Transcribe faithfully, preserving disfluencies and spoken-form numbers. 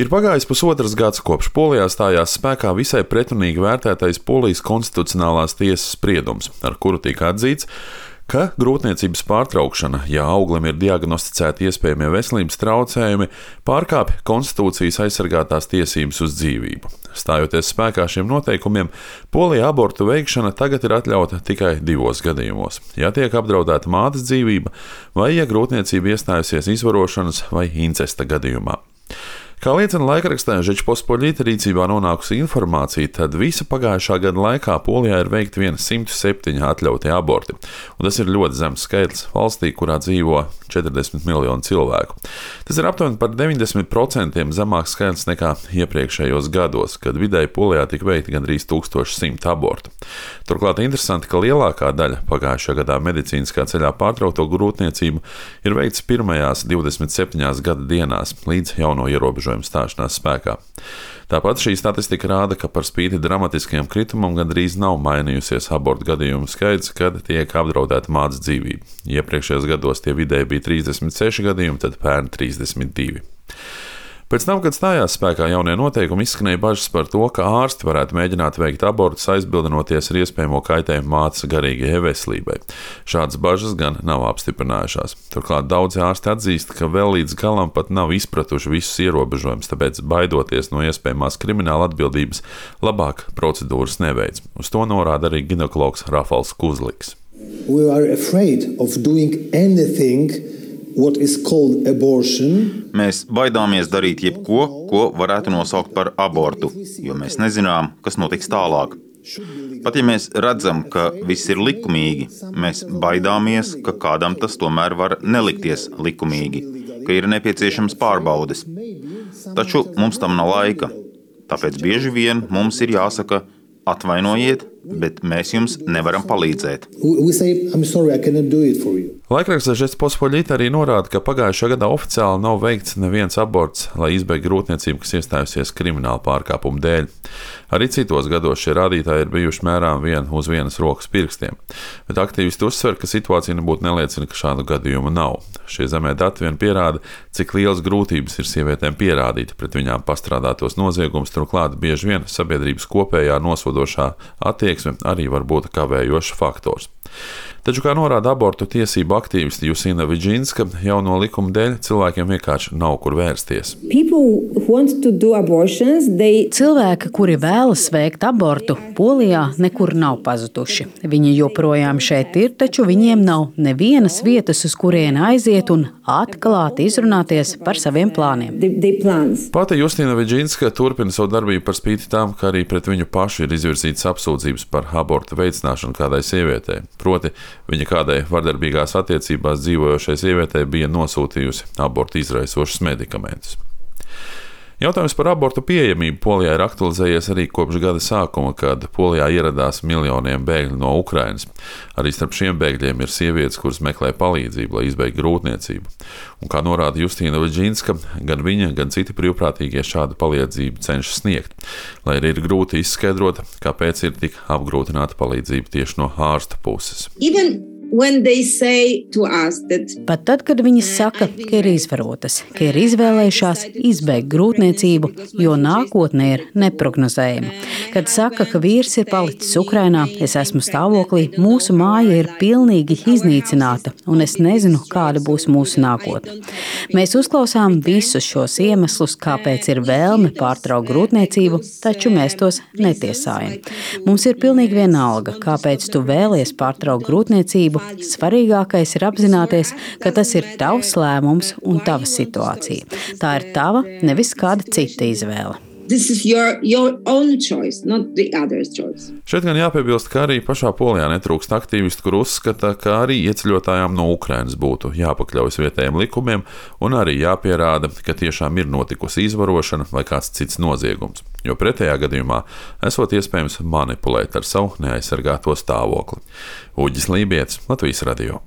Ir pagājis pusotrs gads, kopš Polijā stājās spēkā visai pretrunīgi vērtētais Polijas konstitucionālās tiesas spriedums, ar kuru tika atzīts, ka grūtniecības pārtraukšana, ja auglim ir diagnosticēti iespējamie veselības traucējumi, pārkāpj konstitūcijas aizsargātās tiesības uz dzīvību. Stājoties spēkā šiem noteikumiem, Polijā abortu veikšana tagad ir atļauta tikai divos gadījumos – ja tiek apdraudēta mātes dzīvība vai ja grūtniecība iestājusies izvarošanas vai incesta gadījumā. Kā liecina laikrakstā Žečpospoļita rīcībā nonākusi informācija, tad visa pagājušā gada laikā Polijā ir veikti vien simt septiņi atļautie aborti, un tas ir ļoti zems skaitlis valstī, kurā dzīvo četrdesmit miljoni cilvēku. Tas ir aptuveni par deviņdesmit procentiem zemāks skaitlis nekā iepriekšējos gados, kad vidēji Polijā tika veikti gandrīz tūkstoš simt abortu. Turklāt interesanti, ka lielākā daļa pagājušajā gadā medicīniskā ceļā pārtraukto grūtniecību ir veikts pirmajās divdesmit septiņās gada dienās līdz jauno ierobežojumu stāšanās spēkā. Tāpat šī statistika rāda, ka par spīti dramatiskajam kritumam gandrīz nav mainījusies abortu gadījumu skaits, kad tiek apdraudēta mātes dzīvība. Iepriekšējos gados tie vidēji bija trīsdesmit seši gadījumi, tad pērn trīsdesmit divi. Pēc tam, kad stājās spēkā jaunie noteikumi, izskanēja bažas par to, ka ārsti varētu mēģināt veikt abortus, aizbildinoties ar iespējamo kaitējumu mātes garīgajai veselībai. Šādas bažas gan nav apstiprinājušās. Turklāt daudzi ārsti atzīst, ka vēl līdz galam pat nav izpratuši visus ierobežojumus, tāpēc baidoties no iespējamās krimināla atbildības, labāk procedūras neveic. Uz to norāda arī ginekologs Rafals Kuzliks. We are afraid of doing anything what is called abortion. Mēs baidāmies darīt jebko, ko varētu nosaukt par abortu, jo mēs nezinām, kas notiks tālāk. Pat ja mēs redzam, ka viss ir likumīgi, mēs baidāmies, ka kādam tas tomēr var nelikties likumīgi, ka ir nepieciešams pārbaudes. Taču mums tam nav laika, tāpēc bieži vien mums ir jāsaka: atvainojiet, bet mēs jums nevaram palīdzēt. Laikrakstā Žečpospoļita arī norāda, ka pagājušā gadā oficiāli nav veikts neviens aborts, lai izbeigtu grūtniecību, kas iestājusies krimināla pārkāpuma dēļ. Arī citos gados šie rādītāji ir bijuši mērām vien uz vienas rokas pirkstiem, bet aktīvisti uzsver, ka situācija nebūtu neliecina, ka šādu gadījumu nav. Šie zemē dati vien pierāda, cik lielas grūtības ir sievietēm pierādīt pret viņām pastrādātos noziegumus, turklāt bieži vien sabiedrības kopējā nosodošā attieksme arī var būt kavējošs faktors. Taču, kā norāda abortu tiesību aktīvisti Jusina Vidžinska, jauno likumu dēļ cilvēkiem vienkārši nav kur vērsties. They... Cilvēki, kuri vēlas veikt abortu, Polijā nekur nav pazuduši. Viņi joprojām šeit ir, taču viņiem nav nevienas vietas, uz kurieni aiziet un atklāti izrunāties par saviem plāniem. Pati Jusina Vidžinska turpina savu darbību par spīti tam, ka arī pret viņu pašu ir izvirzītas apsūdzības par abortu veicināšanu kādai sievietei. Proti, viņa kādai vardarbīgās attiecībās dzīvojošai sievietei bija nosūtījusi abortu izraisošus medikamentus. Jautājums par abortu pieejamību Polijā ir aktualizējies arī kopš gada sākuma, kad Polijā ieradās miljoniem bēgļu no Ukrainas. Arī starp šiem bēgļiem ir sievietes, kuras meklē palīdzību, lai izbeigtu grūtniecību. Un kā norāda Justīna Vidžinska, gan viņa, gan citi brīvprātīgie šādu palīdzību cenšas sniegt, lai arī ir grūti izskaidrot, kāpēc ir tik apgrūtināta palīdzība tieši no ārsta puses. Even That... Pat tad, kad viņas saka, ka ir izvarotas, ka ir izvēlējušās izbeigt grūtniecību, jo nākotne ir neprognozējama. Kad saka, ka vīrs ir palicis Ukrainā, es esmu stāvoklī, mūsu māja ir pilnīgi iznīcināta, un es nezinu, kāda būs mūsu nākotne. Mēs uzklausām visus šos iemeslus, kāpēc ir vēlme pārtraukt grūtniecību, taču mēs tos netiesājam. Mums ir pilnīgi vienalga, kāpēc tu vēlies pārtraukt grūtniecību. Svarīgākais ir apzināties, ka tas ir tavs lēmums un tava situācija. Tā ir tava, nevis kāda cita izvēle. This is your, your own choice, not the other's choice. Šeit gan jāpiebilst, ka arī pašā Polijā netrūkst aktīvisti, kur uzskata, ka arī ieceļotājām no Ukrainas būtu jāpakļaujas vietējiem likumiem un arī jāpierāda, ka tiešām ir notikusi izvarošana vai kāds cits noziegums, jo pretējā gadījumā esot iespējams manipulēt ar savu neaizsargāto stāvokli. Uģis Lībietis, Latvijas radio.